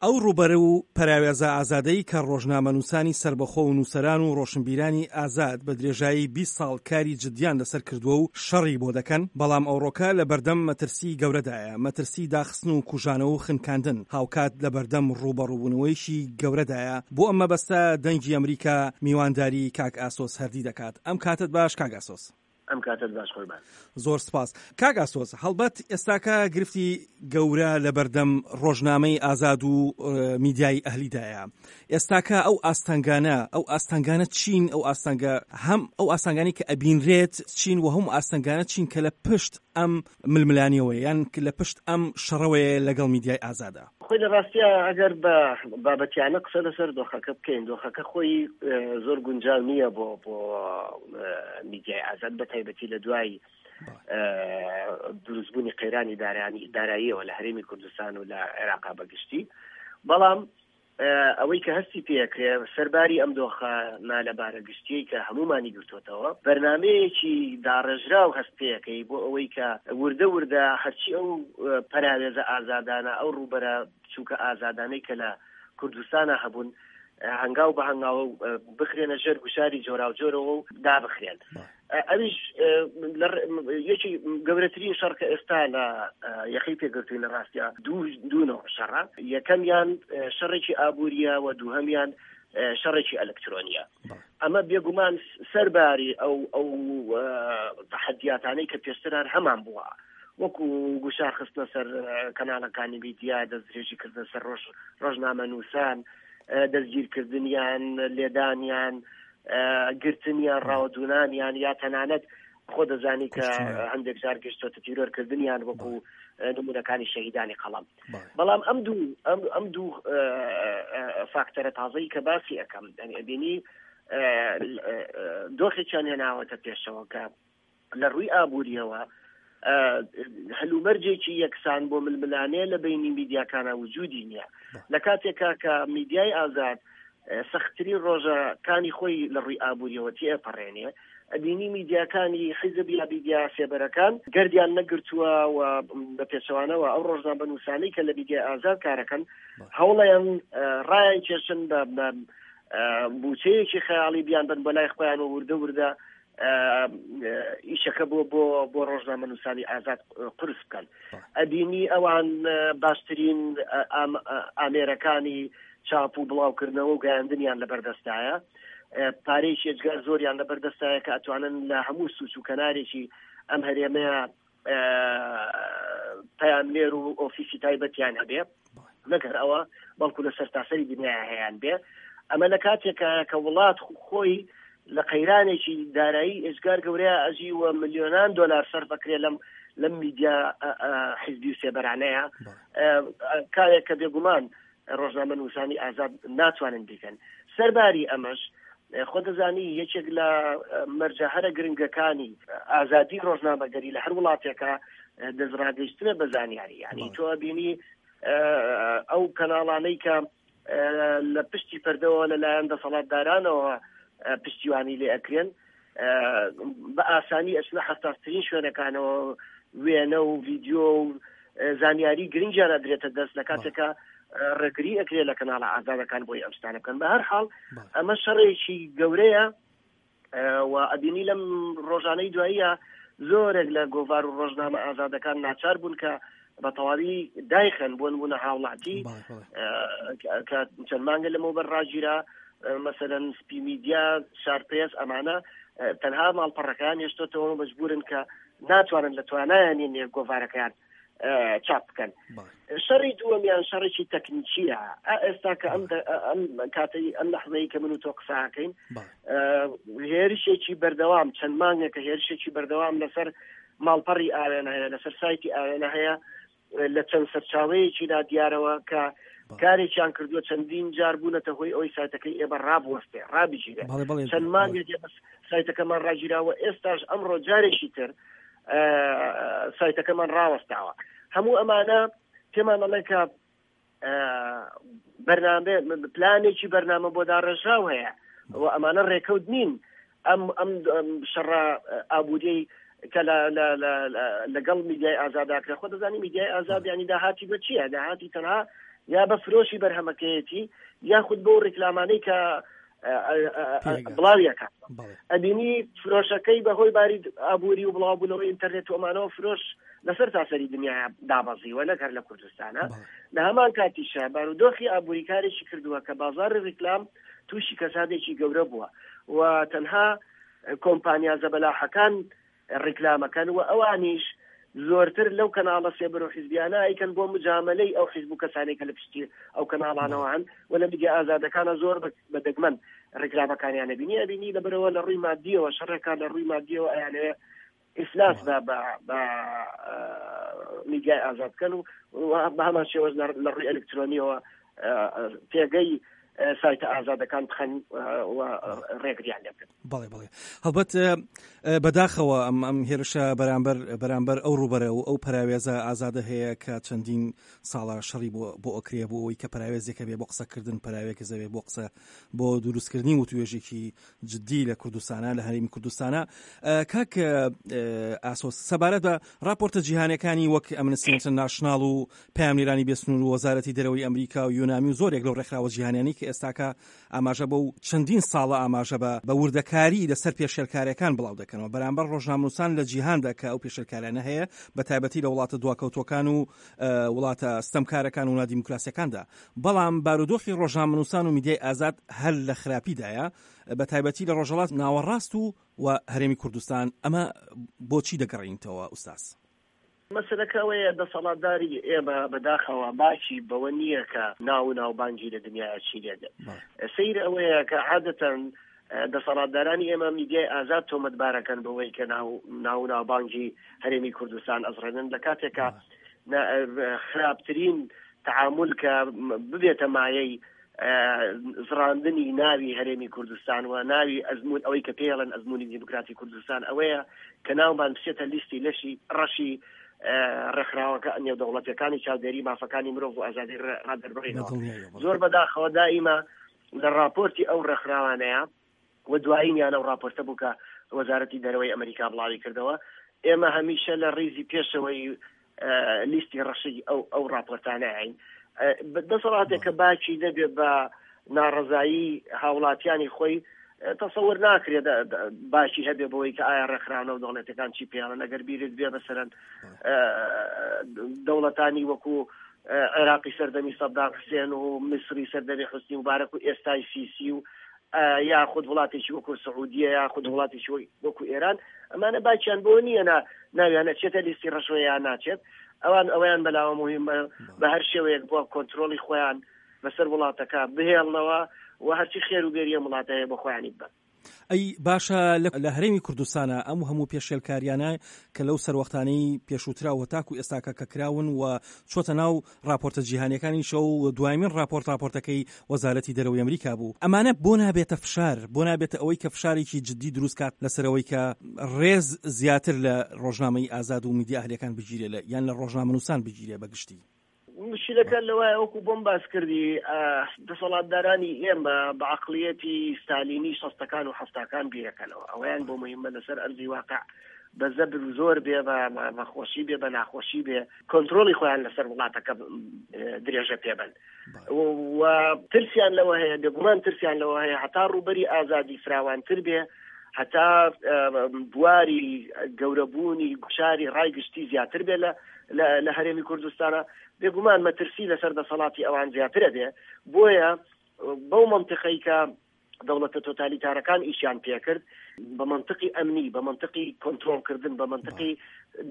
ئەو ڕووبەر و پەراوێزە ئازادەی کە ڕۆژنامەنووسانی سەربەخۆ و نووسەران و ڕۆشنبیرانی ئازاد بە درێژایی 20 ساڵ کاری جدیان لەسەر کردووە و شەڕی بۆ دەکەن، بەڵام ئەوڕۆکە لەبەردەم مەترسی گەورەدایە، مەترسی داخستن و کوژانەوە و خنکاندن، هاوکات لەبەردەم ڕووبەڕووبوونەوەیەکی گەورەدایە، بۆ ئەم مەبەستە دەنگی ئەمریکا میوانداری کاک ئاسۆس هەردی دەکات. ئەم کاتەت باش کاک ئاسۆس. ئەم کاتەت باش قوربان. زۆر سپاس. کاک ئاسۆس، هەڵبەت ئێستاکە گرفتی گەورە لەبەردەم ڕۆژنامەی ئازاد و میدیای ئەهلیدایە. ئێستاکە ئەو ئاستەنگانە، ئەو ئاستەنگانە چین، ئەو ئاستەنگە هەم ئەو ئاستەنگانەی کە ئەبینرێت چین و هەم ئاستەنگانە چین کە لە پشت ئەم ململانێوەیە یان لە پشت ئەم شەڕەوەیە لەگەڵ میدیای ئازادا؟ خۆی لە ڕاستیا ئەگەر بە بابەتیانە قسە لەسەر دۆخەکە بکەین، دۆخەکە خۆی زۆر گونجاو نییە بۆ بۆ میدیای ئازاد بە تایبەتی لە دوای دروستبوونی قەیرانی داراییەوە لە هەرێمی کوردستان و لە عێراقا بەگشتی. بەڵام ئەوەی کە هەستی پێکرێ سەرباری ئەم دۆخە نالەبارە گشتیەی کە هەموومانی گرتوتەوە، بەرنمەیەکی داڕێژراو هەست پێەکەی بۆ ئەوەی کە وردە وردە هەرچی ئەو پەراوێزە ئازادانە، ئەو ڕووبەرە بچووکە ئازادانەی کە لە کوردستانە هەبوون، هەنگاو بە هەنگاوە بخرێنە ژێر گوشاری جۆراوجۆرەوە و دابخرێن. ئەویش یەکی گەورەترین شەڕ کە ئێستا لە یەخەی پێگرتوین لە ڕاستیا دوو نەوع شەڕە، یەکەمیان شەڕێکی ئابووریە و دووهەمیان شەڕێکی ئەلکترۆنیە. ئەمە بێگومان سەرباری ئەو ئەو تەحەدیاتانەی کە پێشتر هەر هەمان بووە، وەکو گوشار خستنە سەر کەناڵەکانی میدیا، دەستدرێژی کردنە سەر ڕۆژ ڕۆژنامەنووسان، دەستگیرکردنیان، لێدانیان، گرتنیان، ڕاوەدوونانیان، یا تەنانەت خۆ دەزانی کە هەندێک جار گەشتۆتە تیرۆرکردنیان وەکو نمونەکانی شەهیدانی قەڵەم. بەڵام ئەم دوو ئەم دوو فاکتەرە تازەی کە باسی ئەەکەم ئەبینی دۆخێکیان هێناوەتە پێشەوە کە لە ڕووی ئابووریەوە هەلومەرجێکی یەکسان بۆ ململانێ لە بینی میدیاکانە وجودی نییە، لە کاتێکا کە میدیای ئازاد سەختترین ڕۆژەکانی خۆی لە ڕووی ئابووریەوە تێپەڕێنێ، ئەبینی میدیاکانی حیزب یا میدیا سێبەرەکان گردیان نەگرتووە و بە پێچەوانەوە ئەو ڕۆژنامەنووسانەی کە لە میدیای ئازاد کارەکەن هەوڵیان ڕایان کێشن بە بوچەیەکی خەیاڵی بیان بن بۆ لای خۆیان و وردە وردە ئیشەکە بۆ بۆ بۆ ڕۆژنامەنووسانی ئازاد قورس بکەن. ئەبینی ئەوان باشترین ئامێرەکانی چاپ و بڵاوکردنەوە و گەیاندنیان لەبەردەستایە، پارەیەکی ئێجگار زۆریان لەبەردەستایە کە ئەتوانن لە هەموو سوچ و کەنارێکی ئەم هەرێمەیە پەیامنێر و ئۆفیسی تایبەتیان هەبێ، نەک هەر ئەوە بەڵکو لە سەرتاسەری دنیا هەیان بێ. ئەمە لە کاتێکە کە وڵات خۆی لە قەیرانێکی دارایی ئێجگار گەورەیە ئەژی و ملیۆنان دۆلار سەرف ئەکرێ لەم لەم میدیا حیزبی و سێبەرانەیە، کارێک کە بێگومان ڕۆژنامە نووسانی ئازاد ناتوانن بیکەن. سەرباری ئەمەش خۆ دەزانی یەکێک لە مەرجە هەرە گرنگەکانی ئازادی ڕۆژنامەگەری لە هەر وڵاتێکە دەستڕاگەیشتنە بە زانیاری. یعنی تۆ بینی ئەو کەناڵانەی کە لە پشتی پەردەوە لەلایەن دەسەڵاتدارانەوە پشتیوانی لێ ئەکرێن بە ئاسانی ئەچنە حەساسترین شوێنەکانەوە، وێنە و ڤیدیۆ و زانیاری گرنگیان ئەدرێتە دەست، لە کاتێکە ڕێگری ئەکرێ لە کەناڵە ئازادەکان بۆی ئەم شتانە بکەن. بە هەر حاڵ ئەمە شەڕێکی گەورەیە و ئەبینی لەم ڕۆژانەی دواییە زۆرێک لە گۆڤار و ڕۆژنامە ئازادەکان ناچار بوون کە بە تەواوی دایخەن، بۆ نمونە هاوڵاتی کە چەند مانگە لەمەوبەر ڕاگیرا، مەسەلەن سپی میدیا، شارپرێس، ئەمانە تەنها ماڵپەڕەکان هێشتۆتەوە، مەجبورن کە ناتوانن لە توانایان نیە گۆڤارەکەیان چاپ بکەن. شەڕی دووەمیان شەڕێکی تەکنیکیە. ئێستا کە ئەم ئەم کاتەی ئەم لەحزەی کە من و تۆ قساکەین، هێرشێکی بەردەوام چەند مانگێکە هێرشێکی بەردەوام لەسەر ماڵپەڕی ئاوێنە هەیە، لەسەر سایتی ئاوێنە هەیە، لە چەند سەرچاوەیەکی نادیارەوە کە کارێکیان کردووە چەندین جار بوونەتە هۆی ئەوەی سایتەکەی ئێمە ڕابوەستێ، ڕابگیرێ. چەند مانگێک سایتەکەمان ڕاگیراوە، ئێستاش ئەمڕۆ جارێکی تر سایتەکەمان ڕاوەستاوە. هەموو ئەمانە پێمان ئەڵێ کە بەرنامە پلانێکی بەرنامە بۆ داڕێژراو هەیە و ئەمانە ڕێکەوت نین. ئەم ئەم شەڕە ئابووریەی کە لەگەڵ میدیای ئازاداکرێ، خۆ دەزانی میدیای ئازاد ینی داهاتی بە چییە؟ داهاتی تەنها یا بە فرۆشی بەرهەمەکەیەتی یاخود بەو ڕیکلامانەی کە بڵاویەکە ئەبینی فرۆشەکەی بەهۆی باری ئابووری و بڵاوبوونەوەی ئینتەرنێت و ئەمانەوە فرۆش لەسەر تاسەری دنیا دابەزیوە نەک هەر لە کوردستانە لە هەمان کاتیشە بارودۆخی ئابووری کارێکی کردووە کە بازاری ڕیکلام تووشی کەسادێکی گەورە بووە و تەنها کۆمپانیا زەبەلاحەکان ڕیکلامەکەن و ئەوانیش زۆرتر لەو کەناڵە سێبەر و حیزبیانە ئەیکەن بۆ مجاملەی ئەو حیزب و کەسانەی کە لە پشتی ئەو کەناڵانەوە هەن و لە میدیا ئازادەکانە زۆر بە دەگمەن ڕیکلامەکانیان ئەبینی ئەبینی لەبەرەوە لە ڕووی مادیەوە شەڕێکە لە ڕووی مادیەوە ئەیانەوێ ئیفلاس بە بە بە میدیای ئازاد بکەن و بە هەمان شێوەش لە ڕووی ئەلکترۆنیەوە پێگەی سایتە ئازادەکان بخەن و ڕێگریان لێ بکەن. بەڵێ بەڵێ هەڵبەت بەداخەوە ئەم ئەم هێرشە بەرامبەر بەرامبەر ئەو ڕووبەرە و ئەو پەراوێزە ئازادە هەیە کە چەندین ساڵە شەڕی بۆ بۆ ئەکرێ بۆ ئەوەی کە پەراوێزێکە بێ بۆ قسەکردن پەراوێکە زەوێ بۆ قسە بۆ دروستکردنی وتوێژێکی جدی لە کوردستانە لە هەرێمی کوردستانە کاک ئاسۆس سەبارەت بە راپۆرتە جیهانەکانی وەک ئەمنستی ئینتەرناشناڵ و پەیامنێرانی بێسنوور و وەزارەتی دەرەوەی ئەمریکا و یونامی و زۆرێک لەو ڕێکخراوە جیهانیانەی کە ئێستاکە ئاماژە بە و چەندین ساڵە ئاماژە بە بە وردەکاری لەسەر پێشێلکاریەکان بڵاو دەکەنەوە بەرامبەر ڕۆژنامەنووسان لە جیهاندا کە ئەو پێشێلکاریانە هەیە بە تایبەتی لە وڵاتە دواکەوتووەکان و وڵاتە ستەمکارەکان و نادیموکراسیەکاندا بەڵام بارودۆخی ڕۆژنامەنووسان و میدیای ئازاد هەر لە خراپیدایە بە تایبەتی لە ڕۆژهەڵات ناوەڕاست و و هەرێمی کوردستان ئەمە بۆچی دەگەڕێنیتەوە ئوستاز؟ مەسەلەکە ئەوەیە دەسەڵاتداری ئێمە بەداخەوە باکی بەوە نییە کە ناو و ناوبانگی لە دنیایا چی لێ دێت. سەیر ئەوەیە کە عادەتەن دەسەڵاتدارانی ئێمە میدیای ئازاد تۆمەتبارەکەن بەوەی کە ناو ناو و ناوبانگی هەرێمی کوردستان ئەزڕێنن لە کاتێکا خراپترین تعامل کە ببێتە مایەی زڕاندنی ناوی هەرێمی کوردستان و ناوی ئەزمون ئەوەی کە پێڵەن ئەزمموی دیموکراتی کوردستان ئەوەیە کە ناومان بچێتە لیستی لەشی ڕەشی ڕێکخراوەکە نێودەوڵەتەکانی چاودێری مافەکانی مرۆڤ و ئازادی ڕادەربڕینەوە زۆر بەداخەوە دائیمە لە ڕاپۆرتی ئەو ڕێکخراوانەیە و دوایینیان ئەو ڕاپۆرتە بوو کە وەزارەتی دەرەوەی ئەمریکا بڵاوی کردەوە، ئێمە هەمیشە لە ڕیزی پێشەوەی لیستی ڕەشی ئەو ئەو ڕاپۆرتانەین. دەسەڵاتێک کە باکی نەبێ بە ناڕەزایی هاوڵاتیانی خۆی تەسەور ناکرێت باکی هەبێ بەوەی کە ئایا ڕێکخراونە و دەوڵەتەکان چی پێیانن ئەگەر بیرت بێ بەسەرەن دەوڵەتانی وەکو عێراقی سەردەمی سەدام حسێن و میسری سەردەمی حوسنی مبارەک و ئێستای سیسی و یاخود وڵاتێکی وەکو سعودیە یاخود وڵاتێکی وەکو ئێران ئەمانە باکیان بۆ نییە نا ناویان ئەچێتە لیستی ڕەشەوە یان ناچێت ئەوان ئەوەیان بەلاوە مهمە بە هەر شێوەیەک بۆ کۆنتترۆلی خۆیان بەسەر وڵاتەکە بهێڵنەوە و هەرچی خێر و بێریە وڵاتە هەیە بۆ خۆیانی ببەن. ئەی باشە لە هەرێمی کوردستانە ئەم هەموو پێشێلکاریانە کە لەو سەروەختانەی پێشووترا و تاکو ئێستاکە کە کراون و چۆتە ناو ڕاپۆرتە جیهانیەکانیشەوە و دوایمین ڕاپۆرت ڕاپۆرتەکەی وەزارەتی دەرەوەی ئەمریکا بوو ئەمانە بۆ نابێتە فشار بۆ نابێتە ئەوەی کە فشارێکی جدی دروست کات لەسەر ئەوەی کە ڕێز زیاتر لە ڕۆژنامەی ئازاد و میدیا ئەهلیەکان بگیرێ لە یان لە ڕۆژنامەنووسان بگیرێ بە گشتی؟ مشکلەکە لەوایە وەکو بۆم باس کردی دەسەڵاتدارانی ئێمە بە عەقڵیەتی ستالینی شەستەکان و حەفتاکان بیرەکەنەوە ئەوەیان بۆ مهمە لەسەر ئەرزی واقع بە زەبر و زۆر بێ بە خۆشی بێ بە ناخۆشی بێ کۆنتترۆلی خۆیان لەسەر وڵاتەکە درێژە پێبن و ترسیان لەوە هەیە بێگومان ترسیان لەوە هەیە هەتا ڕووبەری ئازادی فراوانتر بێ هەتا بواری گەورەبوونی گوشاری ڕای گشتی زیاتر بێ لە لە هەرێمی کوردستانە بێگومان مەترسی لەسەر دەسەڵاتی ئەوان زیاترە بێ بۆیە بەو منطقەی کە دەوڵەتە تۆتالیتارەکان ئیشیان پێکرد بە منطقی ئەمنی بە منطقی کۆنتترۆلکردن بە منطقی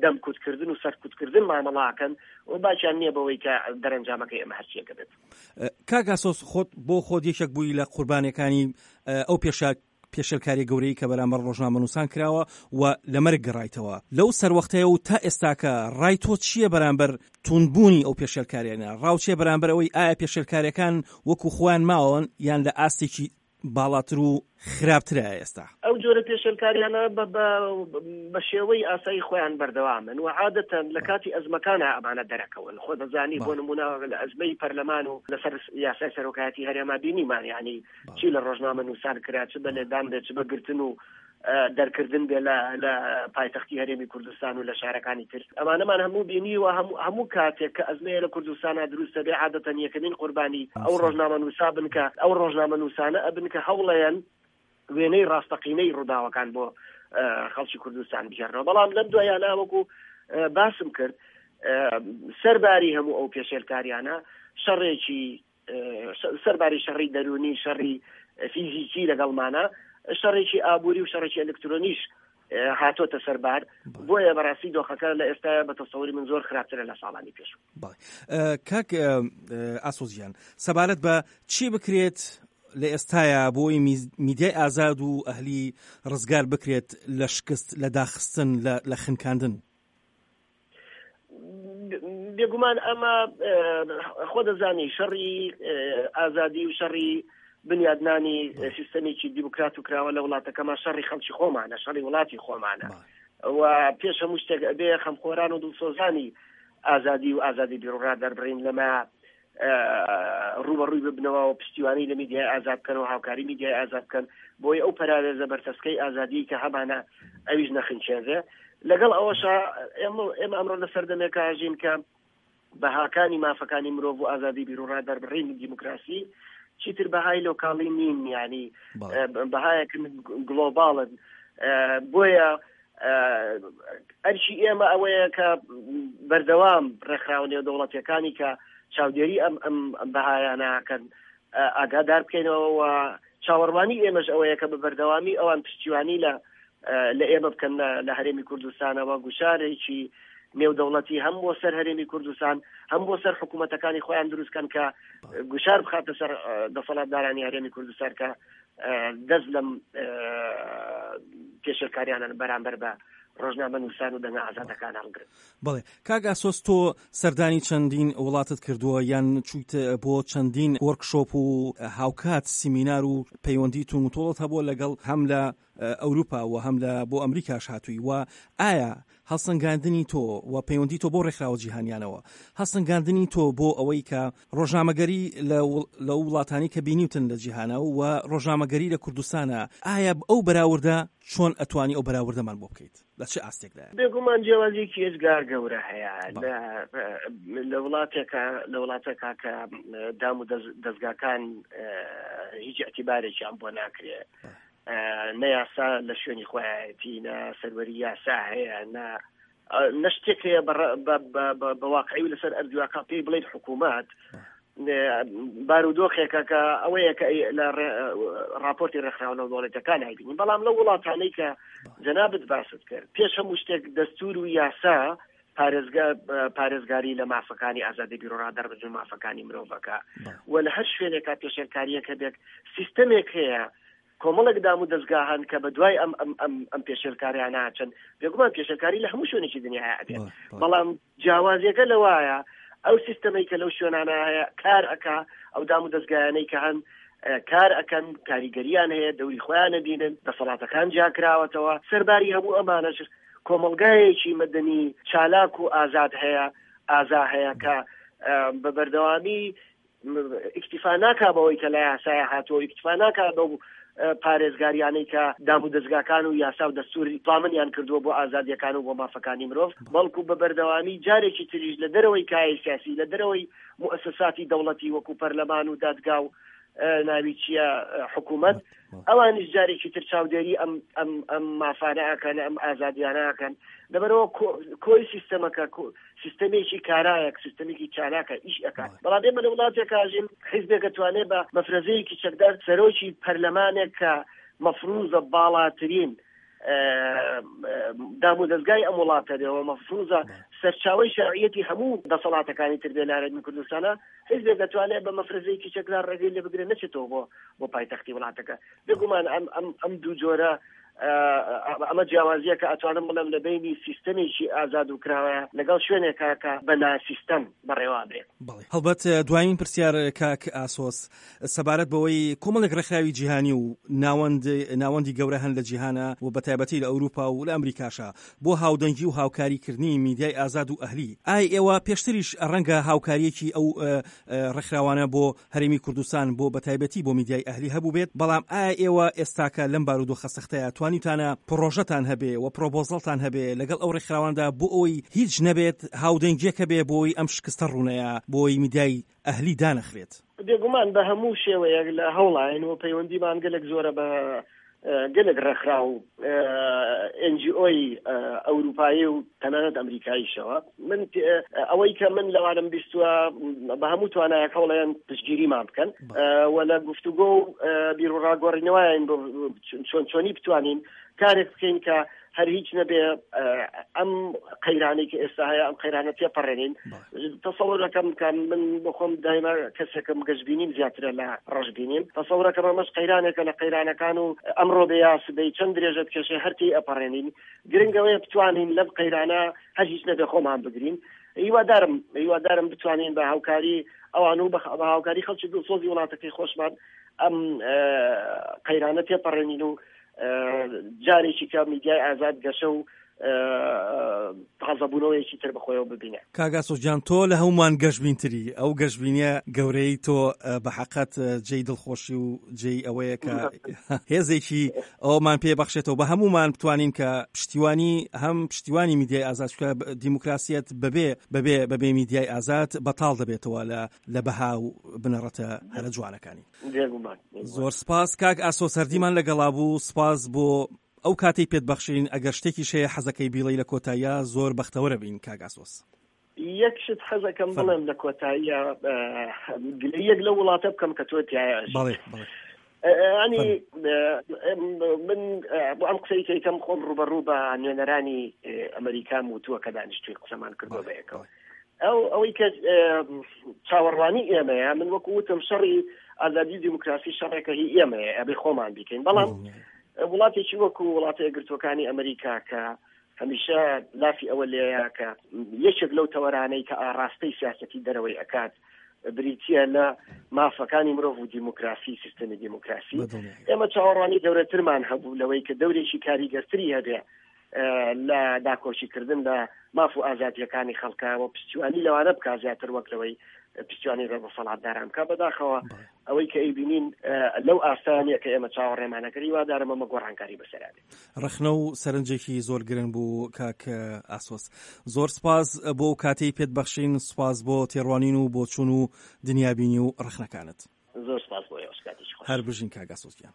دەمکوتکردن و سەرکوتکردن مامەڵاکەن و باچیان نییە بەوەی کە دەرەنجامەکەی ئەمە هەرچیەکە بێت. کاک ئاسۆس خۆت بۆ خۆت یەکێک بووی لە قوربانیەکانی ئەو پێشا پێشێلکاریە گەورەی کە بەرامبەر ڕۆژنامەنووسان کراوە و لە مەرگ گەڕایتەوە لەو سەروەختەیە و تا ئێستاکە ڕای تۆ چییە بەرامبەر توندبوونی ئەو پێشێلکاریانە ڕاو چیە بەرامبەر ئەوەی ئایا پێشێلکاریەکان وەکو خۆیان ماون یان لە ئاستێکی باڵاتر و خراپترە ئێستا؟ ئەو جۆرە پێشێلکاریانە بە شێوەی ئاسایی خۆیان بەردەوامن و عادەتەن لە کاتی ئەزمەکانە ئەمانە دەرەکەون خۆ دەزانی بۆ نمونە لە ئەزمەی پەرلەمان و لەسەر یاسای سەرۆکایەتی هەرێما بینیمان یعنی چی لە ڕۆژنامە نووسان کرا چ بە لێدان بێت چ بە گرتن و دەرکردن بێ لە لە پایتەختی هەرێمی کوردستان و لە شارەکانی تر. ئەمانەمان هەموو بینیوە، هەموو هەموو کاتێک کە ئەزمەیە لە کوردستانا دروست دەبێ عادەتەن یەکەمین قوربانی ئەو ڕۆژنامەنووسا بن کە ئەو ڕۆژنامەنووسانە ئەبن کە هەوڵەیەن وێنەی ڕاستەقینەی ڕووداوەکان بۆ خەڵکی کوردستان بگێڕنەوە. بەڵام لەم دوایانە وەکو باسم کرد سەرباری هەموو ئەو پێشێلکاریانە شەڕێکی سەرباری شەڕی دەروونی شەڕی فیزیکی لەگەڵمانە شەڕێکی ئابووری و شەڕێکی ئەلکترۆنیش هاتۆتە سەربار بۆیە بەڕاستی دۆخەکە لە ئێستا بە تەسەوری من زۆر خراپترە لە ساڵانی پێشوو. کاک ئاسۆزیان سەبارەت بە چی بکرێت لە ئێستایا بۆی میدیای ئازاد و ئەهلی ڕزگار بکرێت لە شکست لە داخستن لە خنکاندن؟ بێگومان ئەمە خۆ دەزانی شەڕی ئازادی و شەڕی بنیادنانی سیستەمێکی دیموکرات و کراوە لە وڵاتەکەمان شەڕی خەڵکی خۆمانە شەڕی وڵاتی خۆمانە و پێش هەموو شتێک ئەبێ خەمخۆران و دڵسۆزانی ئازادی و ئازادی بیرڕا دەربڕین لەمە ڕوبەڕووی ببنەوە و پشتیوانی لە میدیای ئازاد بکەن و هاوکاری میدیای ئازاد بکەن بۆی ئەو پەراوێزە بەرتەسکەی ئازادی کە هەمانە ئەویش نەخنچێنرێ لەگەڵ ئەوەشا ئێمە ئەمڕۆ لە سەردەمێکا ژین کە بەهاکانی مافەکانی مرۆڤ و ئازادی بیرڕا دەربڕین و دیموکراسی چیتر بەهای لۆکاڵی نین ینی بەهایەکن گلۆباڵن بۆیە ئەرکی ئێمە ئەوەیە کە بەردەوام ڕێکخراوە نێودەوڵەتیەکانی کە چاودێری ئەم ئەم بەهایانەکەن ئاگادار بکەینەوە و چاوەڕوانی ئێمەش ئەوەیە کە بە بەردەوامی ئەوان پشتیوانی لە لە ئێمە بکەن لە هەرێمی کوردستانەوە گوشارێکی نێودەوڵەتی هەم بۆ سەر هەرێمی کوردستان هەم بۆ سەر حکوومەتەکانی خۆیان دروستکەن کە گوشار بخاتە سەر دەسەڵاتدارانی هەرێمی کوردستان کە دەست لەم پێشێلکاریانە بەرامبەر بە ڕۆژنامەنووسان و دەنگە ئازادەکان هەڵگرن. بەڵێ کاک ئاسۆس تۆ سەردانی چەندین وڵاتت کردووە یان چوویت بۆ چەندین وۆرکشۆپ و هاوکات سیمینار و پەیوەندی توند و تۆڵت هەبووە لەگەڵ هەم لە ئەوروپا و هەم لە بۆ ئەمریکاش هاتووی و ئایا هەڵسەنگاندنی تۆ و پەیوەندی تۆ بۆ ڕێکخراوە جیهانیانەوە، هەڵسەنگاندنی تۆ بۆ ئەوەی کە ڕۆژنامەگەری لە لەو وڵاتانی کە بینیوتن لە جیهانە و ڕۆژنامەگەری لە کوردستانە، ئایا ئەو بەراوردە چۆن ئەتوانی ئەو بەراوردەمان بۆ بکەیت؟ لە چ ئاستێکدایە؟ بێگومان جیاوازیەکی ئێجگار گەورە هەیە لە لە وڵاتێکا لە وڵاتێکا کە دام و دەزگاکان هیچ ئیعتیبارێکیان بۆ ناکرێ نە یاسا لە شوێنی خۆیەتی نە سەروەری یاسا هەیە نە نە شتێک هەیە بە واقعی و لەسەر ئەردوواکە پێی بڵیت حکوومەت بارودۆخێکە کە ئەوەیە کە لە راپۆرتی ڕێکخراوە نێودەوڵەتەکان نایبینین بەڵام لەو وڵاتانەی کە جەنابت باست کرد پێش هەموو شتێک دەستور و یاسا پارێزگا پارێزگاری لە مافەکانی ئازادی بیرۆڕا دەربجن مافەکانی مرۆڤەکە و لە هەر شوێنێکا پێشێلکاریەک هەبێت سیستەمێک هەیە کۆمەڵێک دام و دەزگا هەن کە بە دوای ئەم ئەم ئەم ئەم پێشێلکاریانە چەند بێگومان پێشێلکاری لە هەموو شوێنێکی دنیا هەبێت بەڵام جیاوازیەکە لەوایە ئەو سیستەمەی کە لەو شوێنانە هەیە کار ئەکا ئەو دام و دەزگایانەی کە هەن کار ئەکەن کاریگەریان هەیە دەوری خۆیان نەبینن دەسەڵاتەکان جیاکراوەتەوە سەرباری هەموو ئەمانەش کۆمەڵگایەکی مەدەنی چالاک و ئازاد هەیە ئازا هەیە کە بە بەردەوامی ئیکتیفا ناکا بەوەی کە لە یاسایە هاتووە ئیکتیفا ناکا بەو پارێزگاریانەی کە دام و دەزگاکان و یاسا و دەستوری زامنیان کردووە بۆ ئازادیەکان و بۆ مافەکانی مرۆڤ بەڵکو بە بەردەوامی جارێکی تریش لە دەرەوەی کایەی سیاسی لە دەرەوەی موئەسەساتی دەوڵەتی وەکو پەرلەمان و دادگا و ناوی چییە حکوومەت ئەوانیش جارێکی تر چاودێری ئەم ئەم ئەم مافانە ئەکەن ئەم ئازادیانە ئەکەن لەبەرەوە کۆی سیستەمەکە سیستەمێکی کارایەک سیستەمێکی چالاکە ئیش ئەکات بەڵام ئێمە لە وڵاتێکا ژین حیزبێک ئەتوانێ بە مەفرەزەیەکی چەکدار سەرۆکی پەرلەمانێک کە مەفروزە باڵاترین دام و دەستگای ئەم وڵاتە بێەوە مەفروزە سەرچاوی شەرعیەتی هەموو دەسەڵاتەکانی تر بێ لە هەرێمی کوردستانە حیزبێک دەتوانێت بە مەفرەزەیەکی چەکدار ڕێگەی لێ بگرێت نەچێتەوە بۆ بۆ پایتەختی وڵاتەکە بێگومان ئەم ئەم ئەم دوو جۆرە ئەمە جیاوازیە کە ئەتوانم بڵێم لە بینی سیستەمێکی ئازاد و کراوە لەگەڵ شوێنێکا کە بە ناسیستەم بەڕێوە برێت. بەڵێ هەڵبەت دوایین پرسیار کاک ئاسۆس سەبارەت بەوەی کۆمەڵێک ڕێکخراوی جیهانی و ناوەند ناوەندی گەورە هەن لە جیهانا و بەتایبەتی لە ئەوروپا و لە ئەمریکاشا بۆ هاودەنگی و هاوکاری کردنی میدیای ئازاد و ئەهلی ئای ئێوە پێشتریش ڕەنگە هاوکاریەکی ئەو ڕێکخراوانە بۆ هەرێمی کوردستان بۆ بەتایبەتی بۆ میدیای ئەهلی هەبووبێت بەڵام ئایا ئێوە ئێستاکە لەم بارودۆخە سەختەیا توانیوتانە. توانیتانە پڕۆژەتان هەبێ و پرۆپۆزەڵتان هەبێ لەگەڵ ئەو ڕێکخراواندا بۆ ئەوەی هیچ نەبێت هاودەنگیەک هەبێ بۆی ئەم شکستە ڕوونەیە بۆی میدیای ئەهلی دانەخرێت؟ بێگومان بە هەموو شێوەیەک لە هەوڵاین و پەیوەندیمان گەلێک زۆرە بە گەلێک ڕێکخراو NGO ی ئەوروپایی و تەنانەت ئەمریکاییشەوە. من ئەوەی کە من لەوانم بیستووە بە هەموو توانایەک هەوڵیان پشتگیریمان بکەن و لە گفتوگۆ و بیروڕاگۆڕینەوەین بۆ چۆن چۆنی بتوانین کارێک بکەین کە هەر هیچ نەبێ ئەم قەیرانەی کە ئێستا هەیە ئەم قەیرانە تێپەڕێنین. تەسەوەرەکەم کە من بۆ خۆم دایمە کەسێکم گەشبینیم زیاترە لە ڕەشبینیم، تەسەورەکەم ئەمەش قەیرانێکە لە قەیرانەکان و ئەمڕۆ بێ یا سبەی چەند درێژە بکێشێ هەر تێی ئەپەڕێنین. گرنگ ئەوەیە بتوانین لەم قەیرانە هەر هیچ نەبێ خۆمان بگرین. هیوادارم هیوادارم بتوانین بە هاوکاری ئەوان و بە هاوکاری خەڵکی دڵسۆزی وڵاتەکەی خۆشمان ئەم قەیرانە تێپەڕێنین و جارێکی کە میدیای ئازاد گەشە و تازەبوونەوەیەکی تر بەخۆیەوە ببینێ. کاک ئاسۆ گیان تۆ لە هەموومان گەشبینتری، ئەو گەشبینیە گەورەی تۆ بە حەقەت جێی دڵخۆشی و جێی ئەوەیە کە هێزێکی ئەومان پێ بەخشێتەوە بە هەموومان بتوانین کە پشتیوانی هەم پشتیوانی میدیای ئازاد چونکە دیموکراسیەت بەبێ بەبێ بەبێ میدیای ئازاد بەتاڵ دەبێتەوە لە لە بەها و بنەڕەتە هەرە جوانەکانی. بێگومان. زۆر سپاس کاک ئاسۆ سەردیمان لەگەڵا بوو سپاس بۆ ئەو کاتەی پێت بەخشین ئەگەر شتێکیش هەیە حەزەکەی بیڵێی لە کۆتاییا زۆر بەختەوەرە بین کاک ئاسۆس. یەک شت حەزەکەم بڵێم لە کۆتاییا گلەیەک لەو وڵاتە بکەم کە تۆ تیایا ئەژیت. بەڵێ بەڵێ. ینی من بۆ ئەم قسەی کەیکەم خۆم ڕوبەڕوو بە نوێنەرانی ئەمریکام وتووە کە دانیشتووی قسەمان کردووە بە یەکەوە. ئەو ئەوەی کە چاوەڕوانی ئێمەیە من وەکو وتم شەڕی ئازادی و دیموکراسی شەڕێکە هی ئێمەیە ئەبێ خۆمان بیکەین بەڵام وڵاتێکی وەکو وڵاتە یەکگرتووەکانی ئەمریکا کە هەمیشە لافی ئەوە لێیە کە یەکێک لەو تەوەرانەی کە ئاڕاستەی سیاسەتی دەرەوەی ئەکات بریتە لە مافەکانی مرۆڤ و دیموکراسی سیستەمی دیموکراسی ئێمە چاوەڕوانی گەورەترمان هەبوو لەوەی کە دەورێکی کاریگەرتری هەبێ لە داکۆکیکردن لە ماف و ئازادییەکانی خەڵکە و پشتیوانی لەوانە بکا زیاتر وەک لەوەی پشتیوانی لە دەسەڵاتداران بکا. بەداخەوە ئەوەی کە ئەیبینین لەو ئاستە نییە کە ئێمە چاوەڕێمانە کرد. هیوادارم ئەمە گۆڕانکاری بەسەرا بێت. ڕەخنە و سەرنجێکی زۆر گرنگ بوو کاک ئاسۆس. زۆر سپاس بۆ ئەو کاتەی پێت بەخشین، سپاس بۆ تێڕوانین و بۆچوون و دنیابینی و ڕەخنەکانت. زۆر سپاس بۆ ئێوەش. کاتێکی خۆش. هەر بژین کاک ئاسۆس گیان.